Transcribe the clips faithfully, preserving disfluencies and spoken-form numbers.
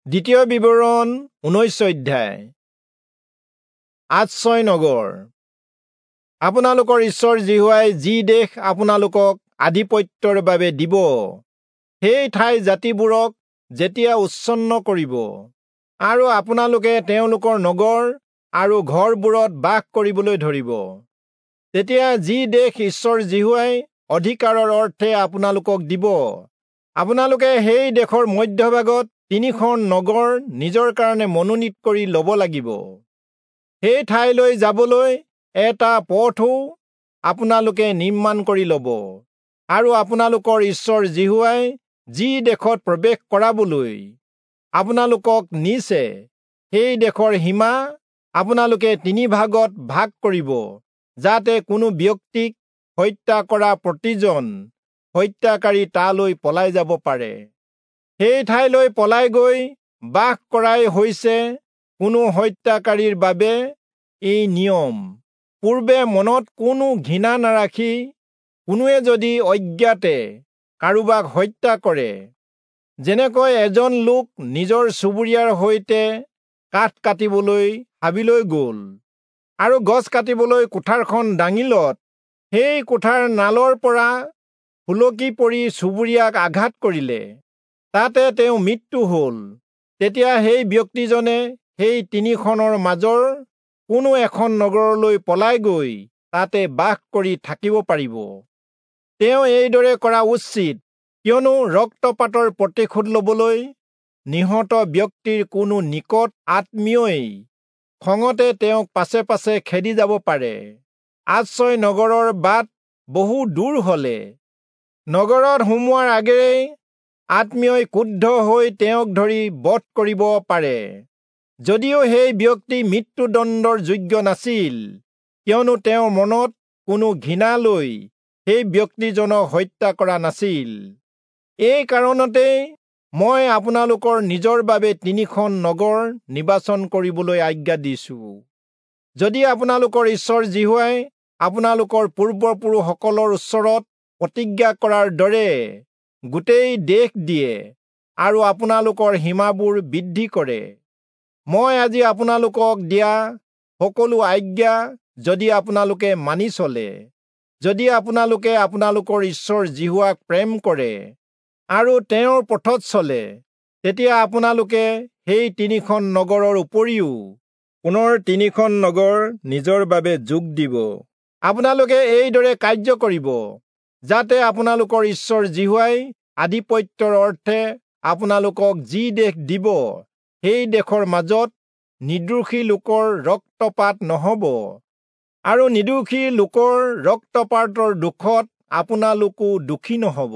দ্বিতীয় বিৱৰণ ঊনৈশ অধ্যায়। আশ্ৰয় নগৰ। আপোনালোকৰ ঈশ্বৰ যিহোৱাই যি দেশ আপোনালোকক আধিপত্যৰ বাবে দিব, সেই ঠাই জাতিবোৰক যেতিয়া উচ্ছন্ন কৰিব আৰু আপোনালোকে তেওঁলোকৰ নগৰ আৰু ঘৰবোৰত বাস কৰিবলৈ ধৰিব, তেতিয়া যি দেশ ঈশ্বৰ যিহোৱাই অধিকাৰৰ অৰ্থে আপোনালোকক দিব, আপোনালোকে সেই দেশৰ মধ্যভাগত তিনিখন নগৰ নিজৰ কাৰণে মনোনীত কৰি ল'ব লাগিব। সেই ঠাইলৈ যাবলৈ এটা পথো আপোনালোকে নিৰ্মাণ কৰি ল'ব, আৰু আপোনালোকৰ ঈশ্বৰ যিহোৱাই যি দেশত প্ৰৱেশ কৰাবলৈ আপোনালোকক নিছে, সেই দেশৰ সীমা আপোনালোকে তিনি ভাগত ভাগ কৰিব, যাতে কোনো ব্যক্তিক হত্যা কৰা প্ৰতিজন হত্যাকাৰী তালৈ পলাই যাব পাৰে। সেই ঠাইলৈ পলাই গৈ বাস কৰাই হৈছে কোনো হত্যাকাৰীৰ বাবে এই নিয়ম। পূৰ্বে মনত কোনো ঘৃণা নাৰাখি কোনোৱে যদি অজ্ঞাতে কাৰোবাক হত্যা কৰে, যেনেকৈ এজন লোক নিজৰ চুবুৰীয়াৰ সৈতে কাঠ কাটিবলৈ হাবিলৈ গ'ল আৰু গছ কাটিবলৈ কুঠাৰখন দাঙিলত সেই কুঠাৰ নালৰ পৰা সুলকি পৰি চুবুৰীয়াক আঘাত কৰিলে, তাতে তেওঁ মৃত্যু হ'ল, তেতিয়া সেই ব্যক্তিজনে সেই তিনিখনৰ মাজৰ কোনো এখন নগৰলৈ পলাই গৈ তাতে বাস কৰি থাকিব পাৰিব। তেওঁ এইদৰে কৰা উচিত, কিয়নো ৰক্তপাতৰ প্ৰতিশোধ ল'বলৈ নিহত ব্যক্তিৰ কোনো নিকট আত্মীয়ই খঙতে তেওঁক পাছে পাছে খেদি যাব পাৰে। আশ্ৰয় নগৰৰ বাট বহু দূৰ হ'লে নগৰত সোমোৱাৰ আগেৰেই আত্মীয়ই ক্ৰুদ্ধ হৈ তেওঁক ধৰি বধ কৰিব পাৰে, যদিও সেই ব্যক্তি মৃত্যুদণ্ডৰ যোগ্য নাছিল, কিয়নো তেওঁৰ মনত কোনো ঘৃণা লৈ সেই ব্যক্তিজনক হত্যা কৰা নাছিল। এই কাৰণতেই মই আপোনালোকৰ নিজৰ বাবে তিনিখন নগৰ নিৰ্বাচন কৰিবলৈ আজ্ঞা দিছো। যদি আপোনালোকৰ ঈশ্বৰ যিহোৱাই আপোনালোকৰ পূৰ্বপুৰুষসকলৰ ওচৰত প্ৰতিজ্ঞা কৰাৰ দৰে গোটেই দেশ দিয়ে আৰু আপোনালোকৰ সীমাবোৰ বৃদ্ধি কৰে, মই আজি আপোনালোকক দিয়া সকলো আজ্ঞা যদি আপোনালোকে মানি চলে, যদি আপোনালোকে আপোনালোকৰ ঈশ্বৰ যিহোৱাক প্ৰেম কৰে আৰু তেওঁৰ পথত চলে, তেতিয়া আপোনালোকে সেই তিনিখন নগৰৰ উপৰিও পুনৰ তিনিখন নগৰ নিজৰ বাবে যোগ দিব। আপোনালোকে এইদৰে কাৰ্য কৰিব, যাতে আপোনালোকৰ ঈশ্বৰ যিহোৱাই আধিপত্যৰ অৰ্থে আপোনালোকক যি দেশ দিব, সেই দেশৰ মাজত নিৰ্দোষী লোকৰ ৰক্তপাত নহ'ব, আৰু নিৰ্দোষী লোকৰ ৰক্তপাতৰ দুখত আপোনালোকো দুখী নহ'ব।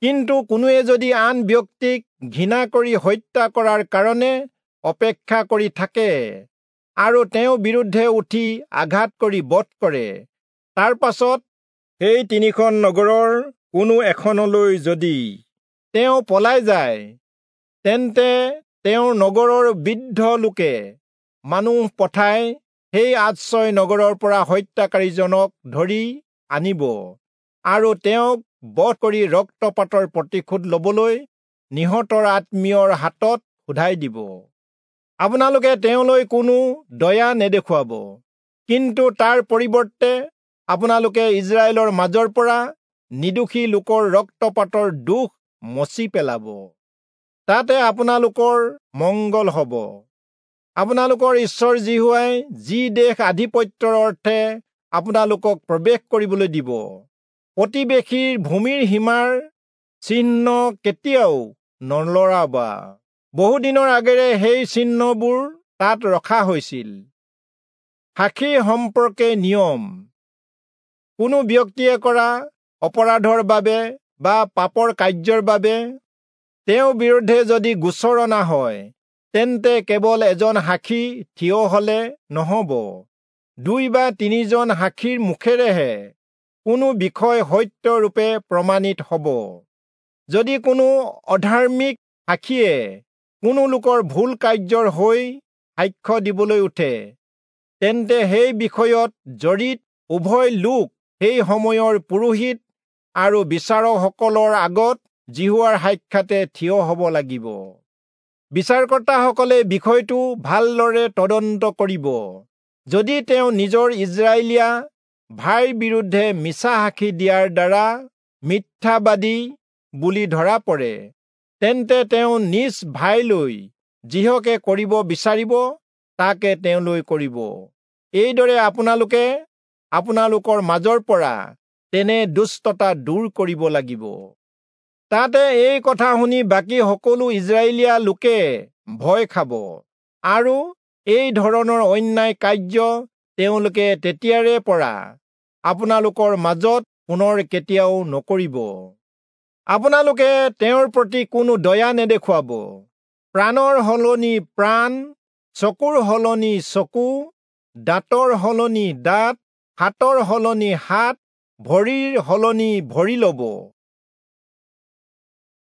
কিন্তু কোনোৱে যদি আন ব্যক্তিক ঘৃণা কৰি হত্যা কৰাৰ কাৰণে অপেক্ষা কৰি থাকে আৰু তেওঁৰ বিৰুদ্ধে উঠি আঘাত কৰি বধ কৰে, তাৰ পাছত সেই তিনিখন নগৰৰ কোনো এখনলৈ যদি তেওঁ পলাই যায়, তেন্তে তেওঁৰ নগৰৰ বৃদ্ধ লোকে মানুহ পঠাই সেই আশ্ৰয় নগৰৰ পৰা হত্যাকাৰীজনক ধৰি আনিব আৰু তেওঁক বধ কৰি ৰক্তপাতৰ প্ৰতিশোধ ল'বলৈ নিহতৰ আত্মীয়ৰ হাতত শোধাই দিব। আপোনালোকে তেওঁলৈ কোনো দয়া নেদেখুৱাব, কিন্তু তাৰ পৰিৱৰ্তে আপোনালোকে ইজৰাইলৰ মাজৰ পৰা নিৰ্দোষী লোকৰ ৰক্তপাতৰ দোষ মচি পেলাব। তাতে আপোনালোকৰ মংগল হ'ব। আপোনালোকৰ ঈশ্বৰ যিহোৱাই যি দেশ আধিপত্যৰ অৰ্থে আপোনালোকক প্ৰৱেশ কৰিবলৈ দিব, প্ৰতিবেশীৰ ভূমিৰ সীমাৰ চিহ্ন কেতিয়াও নলৰাবা। বহুদিনৰ আগেৰে সেই চিহ্নবোৰ তাত ৰখা হৈছিল। সাক্ষী সম্পৰ্কে নিয়ম। কোনো ব্যক্তিয়ে কৰা অপৰাধৰ বাবে বা পাপৰ কাৰ্যৰ বাবে তেওঁৰ বিৰুদ্ধে যদি গোচৰ অনা হয়, তেন্তে কেৱল এজন সাক্ষী থিয় হ'লে নহ'ব, দুই বা তিনিজন সাক্ষীৰ মুখেৰেহে কোনো বিষয় সত্যৰূপে প্ৰমাণিত হ'ব। যদি কোনো অধাৰ্মিক সাক্ষীয়ে কোনো লোকৰ ভুল কাৰ্যৰ হৈ সাক্ষ্য দিবলৈ উঠে, তেন্তে সেই বিষয়ত জড়িত উভয় লোক সেই সময়ৰ পুৰোহিত আৰু বিচাৰকসকলৰ আগত যিহোৱাৰ সাক্ষাতে থিয় হ'ব লাগিব। বিচাৰকৰ্তাসকলে বিষয়টো ভালদৰে তদন্ত কৰিব। যদি তেওঁ নিজৰ ইজৰাইলীয়া ভাইৰ বিৰুদ্ধে মিছা সাক্ষী দিয়াৰ দ্বাৰা মিথ্যাবাদী বুলি ধৰা পৰে, তেন্তে তেওঁ নিজ ভাইলৈ যিহকে কৰিব বিচাৰিব তাকে তেওঁলৈ কৰিব। এইদৰে আপোনালোকে আপোনালোকৰ মাজৰ পৰা তেনে দুষ্টতা দূৰ কৰিব লাগিব। তাতে এই কথা শুনি বাকী সকলো ইজৰাইলীয়া লোকে ভয় খাব আৰু এই ধৰণৰ অন্যায় কাৰ্য তেওঁলোকে তেতিয়াৰে পৰা আপোনালোকৰ মাজত পুনৰ কেতিয়াও নকৰিব। আপোনালোকে তেওঁৰ প্ৰতি কোনো দয়া নেদেখুৱাব। প্ৰাণৰ সলনি প্ৰাণ, চকুৰ সলনি চকু, দাঁতৰ সলনি দাঁত, হাতৰ সলনি হাত, ভৰিৰ সলনি ভৰি ল'ব।